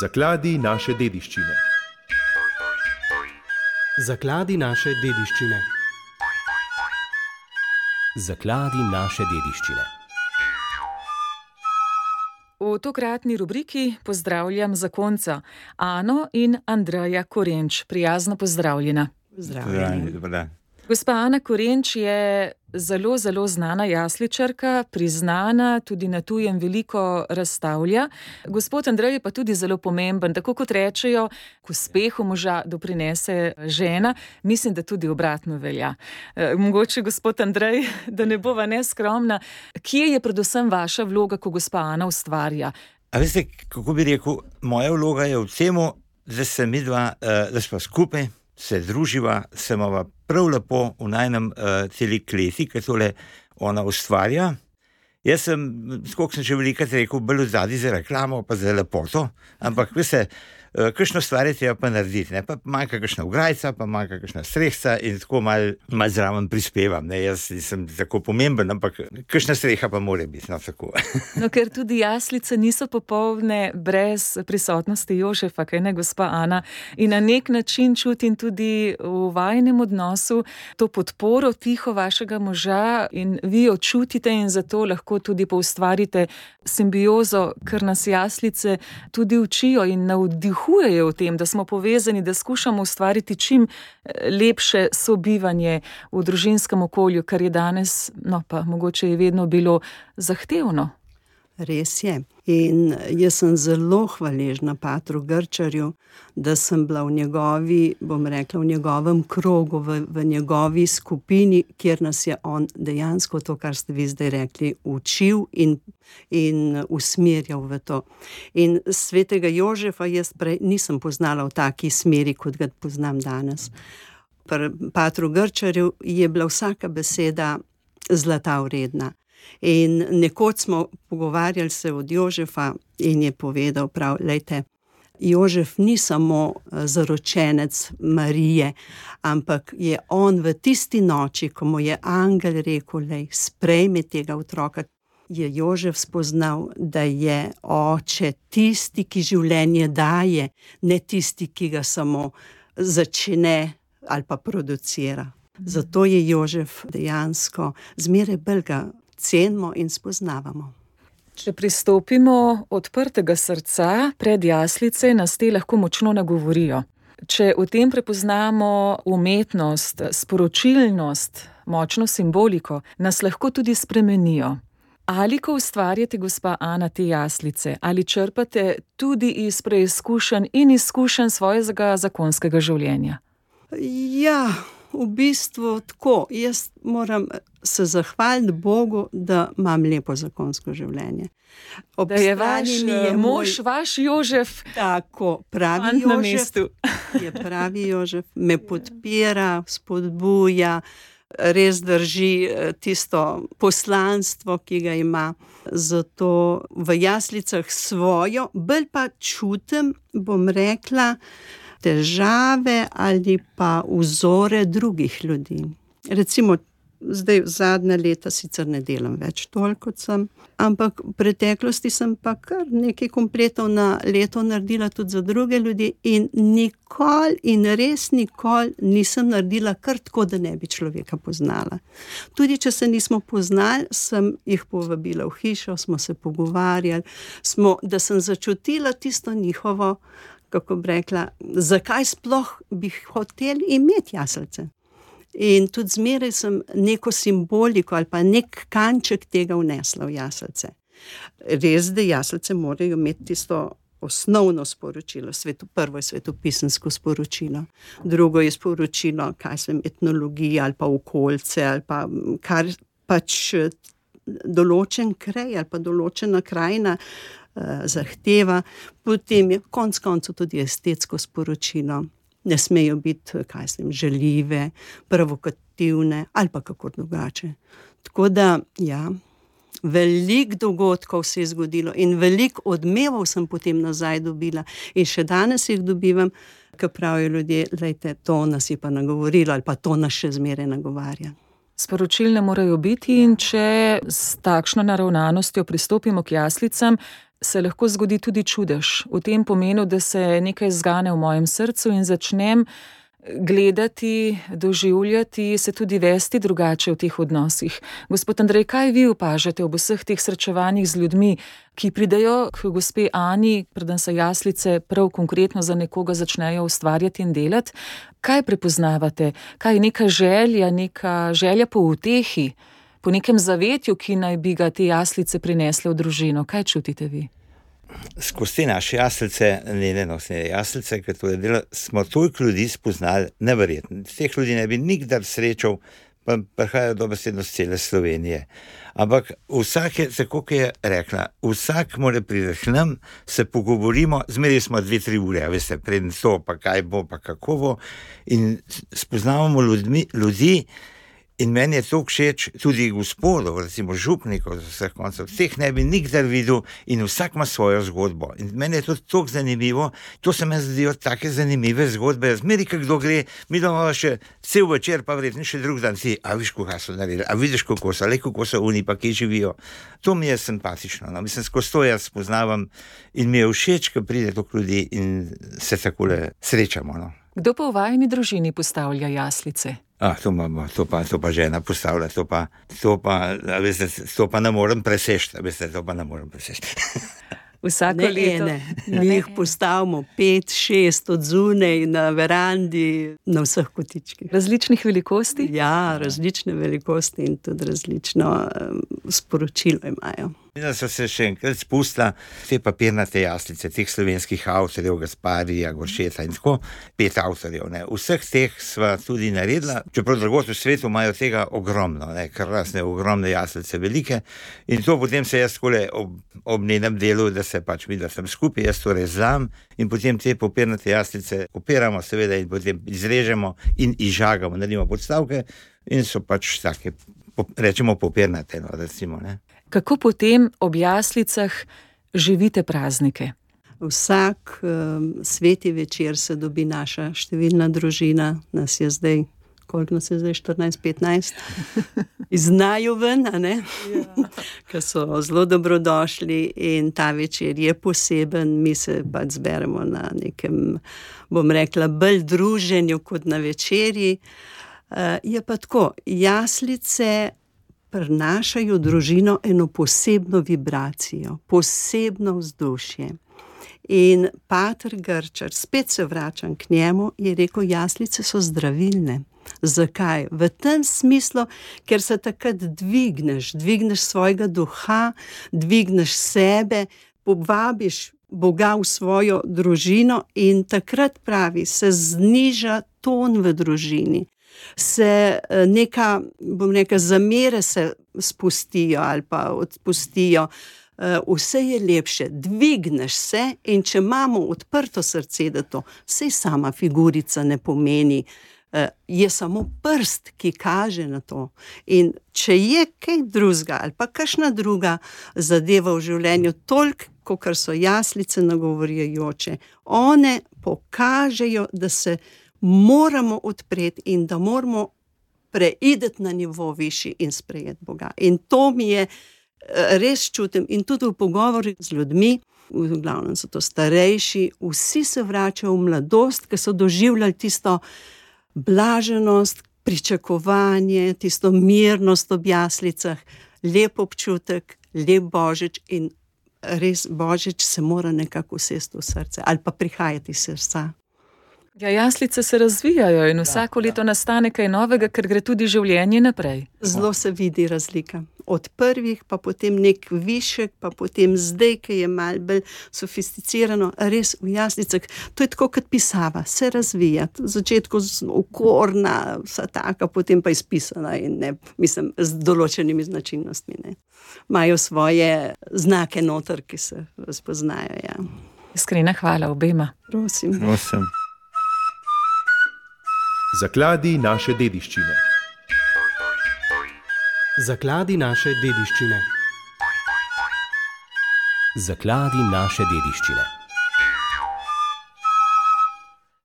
Zakladi naše dediščine. Zakladi naše dediščine. Zakladi naše dediščine. V tokratni rubriki pozdravljam zakonca Ano in Andreja Korenč. Prijazno pozdravljena. Pozdravljeni. Gospa Ana Korenč je zelo znana jasličarka, priznana, tudi na tujem veliko razstavlja. Gospod Andrej je pa tudi zelo pomemben, tako kot rečejo, k uspehu moža doprinese žena. Mislim, da tudi obratno velja. Mogoče, gospod Andrej, da ne bova neskromna, kje je predvsem vaša vloga, ko gospa Ana ustvarja? A veste, kako bi rekel, moja vloga je v temu, da se midva, da smo skupaj, se druživa, se imava prav lepo v najnem celi kleti, ki tole ona ustvarja. Jaz sem, skoliko sem že velikrat rekel, bolj odzadaj za reklamo, pa za lepoto, ampak veste, kakšno stvar je treba pa narediti, ne? Pa manjka kakšna ograjca, pa manjka kakšna strehca in tako malo zraven prispevam, ne? Jaz nisem tako pomemben, ampak kakšna streha pa mora biti, no tako. No, ker tudi jaslice niso popolne brez prisotnosti Jožefa, kaj ne, gospa Ana, in na nek način čutim tudi v vajinem odnosu to podporo tiho vašega moža in vi jo čutite in zato lahko tudi poustvarite simbiozo, ker nas jaslice tudi učijo in navdihujejo v tem, da smo povezani, da skušamo ustvariti čim lepše sobivanje v družinskem okolju, kar je danes, no pa mogoče je vedno bilo zahtevno. Res je. In jaz sem zelo hvaležna patru Grčarju, da sem bila v njegovi, bom rekla, v njegovem krogu, v njegovi skupini, kjer nas je on dejansko to, kar ste vi zdaj rekli, učil in usmerjal v to. In svetega Jožefa jaz prej nisem poznala v taki smeri, kot ga poznam danes. Pri patru Grčarju je bila vsaka beseda zlata vredna. In nekoč smo pogovarjali se od Jožefa in je povedal prav, lejte, Jožef ni samo zaročenec Marije, ampak je on v tisti noči, ko mu je angel rekel, lej, sprejmi tega otroka, je Jožef spoznal, da je oče tisti, ki življenje daje, ne tisti, ki ga samo začne ali pa producira. Zato je Jožef dejansko zmeraj bolj ga cenimo in spoznavamo. Če pristopimo odprtega srca pred jaslice, nas te lahko močno nagovorijo. Če v tem prepoznamo umetnost, sporočilnost, močno simboliko, nas lahko tudi spremenijo. Ali ko ustvarjate, gospa Ana, te jaslice, ali črpate tudi iz preizkušenj in izkušenj svojega zakonskega življenja? Ja, v bistvu tako. Jaz moram se zahvaliti Bogu, da imam lepo zakonsko življenje. Da je mož, vaš Jožef, tako, pravi Jožef, je pravi Jožef, me podpira, spodbuja, res drži tisto poslanstvo, ki ga ima. Zato v jaslicah svojo, bolj pa čutim, bom rekla, težave ali pa vzore drugih ljudi. Recimo, zdaj zadnja leta sicer ne delam več toliko kot sem, ampak v preteklosti sem pa kar nekaj kompletov na leto naredila tudi za druge ljudi in nikoli in res nikoli nisem naredila kar tako, da ne bi človeka poznala. Tudi če se nismo poznali, sem jih povabila v hišo, smo se pogovarjali, da sem začutila tisto njihovo, kako bi rekla, zakaj sploh bi hoteli imeti jaslice. In tudi zmeraj sem neko simboliko ali pa nek kanček tega vnesla v jaslice. Res, da jaslice morajo imeti tisto osnovno sporočilo. Prvo je svetopisemsko sporočilo, drugo je sporočilo, etnologija ali pa okoljce ali pa kar pač določen kraj ali pa določena krajina zahteva, potem je konec koncev tudi estetsko sporočilo. Ne smejo biti, žaljive, provokativne ali pa kako drugače. Tako da, ja, veliko dogodkov se je zgodilo in veliko odmevov sem potem nazaj dobila in še danes jih dobivam, ko pravijo ljudje, lejte, to nas je pa nagovorilo ali pa to nas še zmeraj nagovarja. Sporočilne morajo biti in če s takšno naravnanostjo pristopimo k jaslicam, se lahko zgodi tudi čudež. V tem pomenu, da se nekaj zgane v mojem srcu in začnem gledati, doživljati, se tudi vesti drugače v teh odnosih. Gospod Andrej, kaj vi opažate ob vseh teh srečevanjih z ljudmi, ki pridejo k gospe Ani, preden se jaslice prav konkretno za nekoga začnejo ustvarjati in delati? Kaj prepoznavate? Kaj je neka želja po utehi, po nekem zavetju, ki naj bi ga te jaslice prinesle v družino? Kaj čutite vi? Skozi te naše jaslice, nenosne jaslice, ki to je delo, smo toliko ljudi spoznali, neverjetno. Teh ljudi ne bi nikdar srečal, pa prihajajo dobesedno z cele Slovenije. Ampak vsak je, tako kot je rekla, vsak mora priti k nam, se pogovorimo, zmeraj smo 2-3 ure, veste, preden to, pa kaj bo, pa kako bo, in spoznavamo ljudi. In meni je to všeč, tudi gospodov, recimo župnikov z vseh koncev, teh ne bi nikdar videl in vsak ima svojo zgodbo. In meni je to tako zanimivo, to se mi zdijo take zanimive zgodbe. Zmeri, kdo gre, mi doma še cel večer, pa verjetno še drug dan, a viš, kako so naredili, a vidiš, kako so oni, pa kje živijo. To mi je simpatično. No. Mislim, skozi to jaz spoznavam in mi je všeč, ko pride toliko ljudi in se takole srečamo. No. Kdo pa v vajini družini postavlja jaslice? To pa žena postavlja, to pa ne morem preseči, Vsako leto mi jih postavimo 5-6 od zunaj na verandi, na vseh kotičkih. Različnih velikosti? Ja, različne velikosti in tudi različno sporočilo imajo. Da so se še enkrat spustila te papirnate jaslice, teh slovenskih avtorjev, Gasparija, Goršeta in tako, 5 avtorjev. Ne. Vseh teh sva tudi naredila, čeprav drugod v svetu imajo tega ogromno, krasne, ogromne jaslice, velike. In to potem se jaz takole ob njenem delu, da se pač mi, da sem skupaj, jaz to rezam in potem te papirnate jaslice opiramo seveda in potem izrežemo in izžagamo, naredimo podstavke in so pač take, rečemo papirnate, no, recimo, ne. Kako potem ob jaslicah živite praznike? Vsak sveti večer se dobi naša številna družina, nas je zdaj, koliko nas je zdaj, 14-15, iznajo ven, a ne? Ja. Ker so zelo dobrodošli in ta večer je poseben, mi se pač zberemo na nekem, bom rekla, bolj druženju kot na večerji. Je pa tako, jaslice prinašajo družino eno posebno vibracijo, posebno vzdušje. In pater Grčar, spet se vračam k njemu, je rekel, jaslice so zdravilne. Zakaj? V tem smislu, ker se takrat dvigneš svojega duha, dvigneš sebe, povabiš Boga v svojo družino in takrat pravi, se zniža ton v družini. Se neka, bom rekla, zamere se spustijo ali pa odpustijo, vse je lepše, dvigneš se in če imamo odprto srce, da to saj sama figurica ne pomeni, je samo prst, ki kaže na to. In če je kaj drugega ali pa kakšna druga zadeva v življenju, toliko, kakor so jaslice nagovarjajoče, one pokažejo, da se moramo odpreti in da moramo preideti na nivo višji in sprejeti Boga. In to mi je res čutim in tudi v pogovorih z ljudmi, v glavnem so to starejši, vsi se vračajo v mladost, ki so doživljali tisto blaženost, pričakovanje, tisto mirnost ob jaslicah, lep občutek, lep Božič in res Božič se mora nekako usesti v srce ali pa prihajati iz srca. Ja, jaslice se razvijajo in vsako leto nastane kaj novega, ker gre tudi življenje naprej. Zelo se vidi razlika. Od prvih, pa potem nek višek, pa potem zdaj, ki je malo bolj sofisticirano, res v jaslicah. To je tako kot pisava, se razvija. V začetku okorna, vsa taka, potem pa izpisana in ne, mislim, z določenimi značilnostmi. Ne. Imajo svoje znake noter, ki se razpoznajo. Ja. Iskrena hvala obema. Prosim. Zakladi naše dediščine. Zakladi naše dediščine. Zakladi naše dediščine.